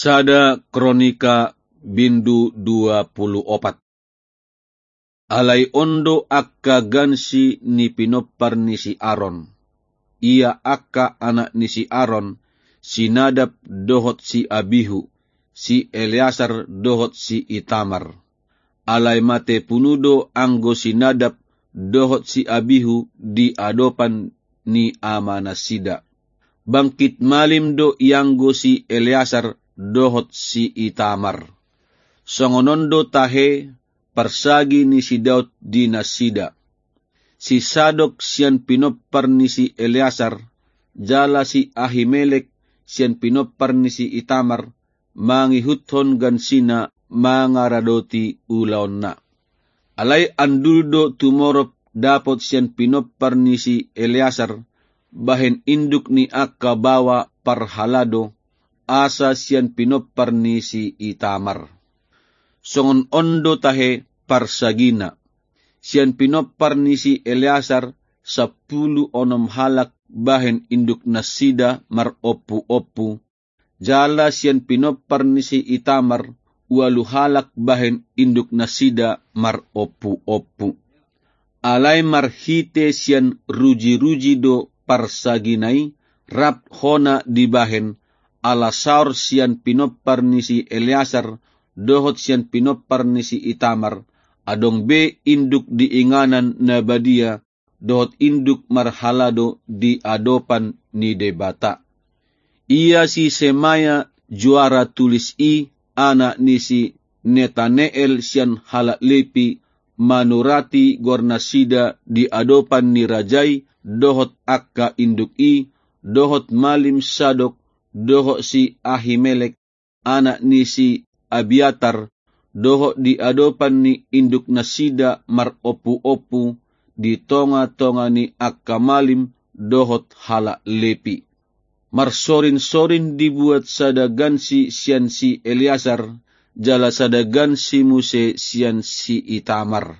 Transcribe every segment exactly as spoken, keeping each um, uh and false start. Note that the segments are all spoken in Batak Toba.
Sada Kronika bindu dua pulu opat. Alai on do angka gansi ni pinompar ni si Aron. Ia angka anak ni si Aron, si Nadab dohot si Abihu, si Eleasar dohot si Itamar. Alai mate punu do anggo si Nadab dohot si Abihu di adopan ni amanasida. Bangkit malim do ianggo si Eleasar dohot si Itamar. Songon on do tahe parsagi ni si Daud di nasida. Si Sadok sian pinompar ni si Eleasar, jala si Ahimelek sian pinompar ni si Itamar, mangihuthon gansina mangaradoti ulaonna. Alai andul do tumorop dapot sian pinompar ni si Eleasar, bahen induk ni angka baoa parhalado, asa sian pinompar ni si Itamar. Songon on do tahe parsagina. Sian pinompar ni si Eleasar, sampulu onom halak bahen induk nasida marompuompu, jala sian pinompar ni si Itamar, ualu halak bahen induk nasida marompuompu. Alai marhite sian rujiruji do parsagina i, rap hona dibahen, ala saor sian pinompar ni si Eleasar dohot sian pinompar ni si Itamar, adong be induk di inganan na badia, dohot induk marhalado di adopan ni Debata. Ia si Semaya juara tulis i, anak ni si Netaneel sian halak Lepi, manurati goarnasida di adopan ni raja i, dohot angka induk i, dohot malim Sadok, dohot si Ahimelek, anak ni si Abiatar, dohot di adopan ni induk nasida marompuompu, di tongatonga ni angka malim dohot halak Lepi. Marsorinsorin dibuat sada gansi sian si Eleasar, jala sada gansi muse sian si Itamar.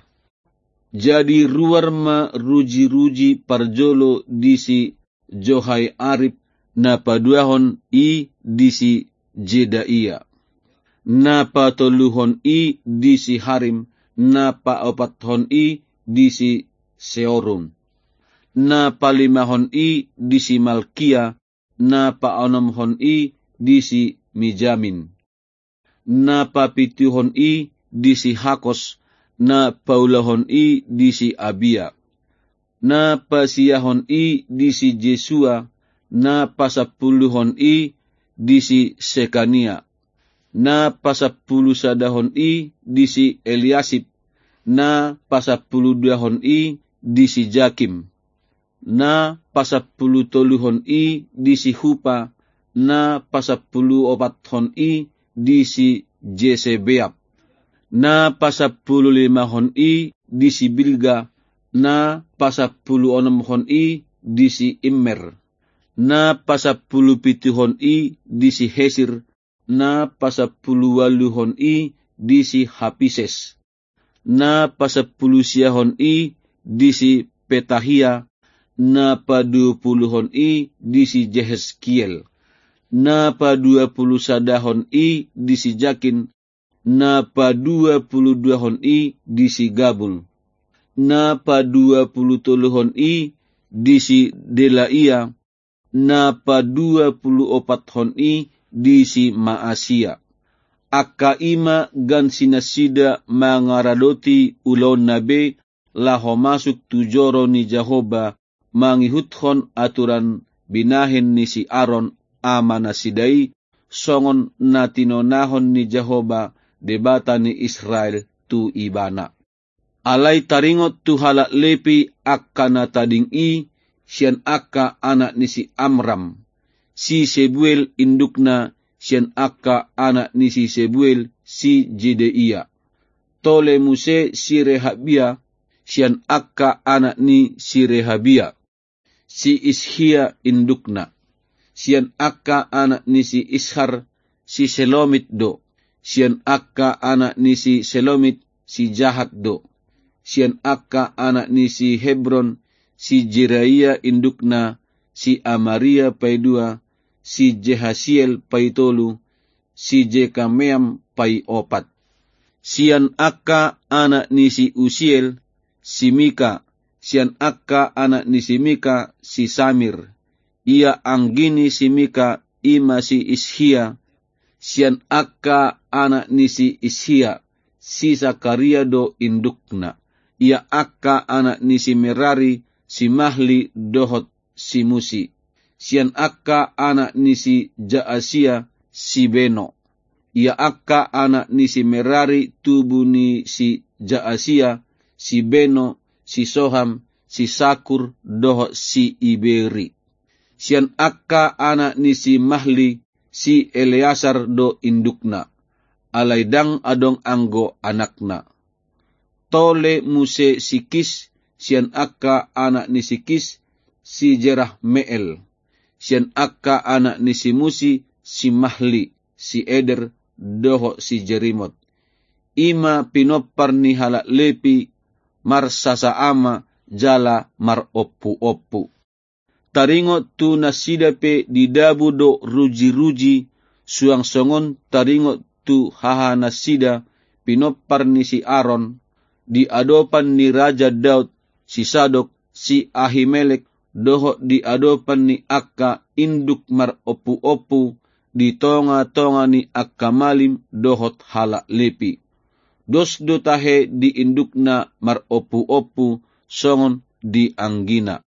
Jadi ruar ma rujiruji parjolo di si Joiarib, na paduahon i di si Jedaia, na patoluhon i di si Harim, na paopathon i di si Seorim, na palimahon i di si Malkia, na paonomhon i di si Mijamin, na papituhon i di si Hakos, na paulahon i di si Abia, na pasiahon i di si Jesua, na pasampuluhon i di si Sekania, na pasampulusadahon i di si Eliasib, na pasampuluduahon i di si Jakim, na pasampulutoluhon i di si Hupa, na pasampuluopathon i di si Jesebeab, na pasampululimahon i di si Bilga, na pasampuluonomhon i di si Immer, na pasampulupituhon i di si Hesir, na pasampuluualuhon i di si Hapises, na pasampulusiahon i di si Petahia, na paduapuluhon i di si Jeheskiel, na paduapulusadahon i di si Jakin, na paduapuluduahon i di si Gabul, na paduapulutoluhon i di si Delaia, na paduapuluopathon i di si Maasia. Angka i ma gansinasida mangaradoti ulaonna be laho masuk tu joro ni Jahowa, mangihuthon aturan binahen ni si Aron amanasida i, songon na tinonahon ni Jahowa, Debata ni Israel, tu ibana. Alai taringot tu halak Lepi angka na tading i, sian angka anak ni si Amram, si Sebuel indukna, sian angka anak ni si Sebuel, si Jedaia. Tole muse si Rehabia, sian angka anak ni si Rehabia, si Ishia indukna. Sian angka anak ni si Ishar, si Selomit do. Sian angka anak ni si Selomit, si Jahat do. Sian angka anak ni si Hebron, si Jeraia indukna, si Amaria paidua, si Jehasiel paitolu, si Jekameam paopat. Sian angka anak ni si Usiel, si Mika, sian angka anak ni si Mika, si Samir. Ia anggi ni si Mika, i ma si Ishia, sian angka anak ni si Ishia, si Sakaria do indukna. Ia angka anak ni si Merari, si Mahli dohot si Musi. Sian angka anak ni si Jaasia, si Beno. Ia angka anak ni si Merari tubu ni si Jaasia, si Beno, si Soham, si Sakur, dohot si Iberi. Sian angka anak ni si Mahli, si Eleasar do indukna. Alai ndang adong anggo anakna. Tole muse si Kis, sian angka anak ni si Kis, si Jerahmeel. Sian angka anak ni si Musi, si Mahli, si Eder, dohot si Jerimot. I ma pinompar ni halak Lepi, marsasa ama, jala marompuompu. Taringot tu nasida pe didabu do rujiruji, suang songon taringot tu hahanasida, pinompar ni si Aron, di adopan ni Raja Daud, si Sadok, si Ahimelek, dohot di adopan ni angka induk marompuompu, di tongatonga ni angka malim dohot halak Lepi. Dos do tahe di indukna marompuompu songon di anggina.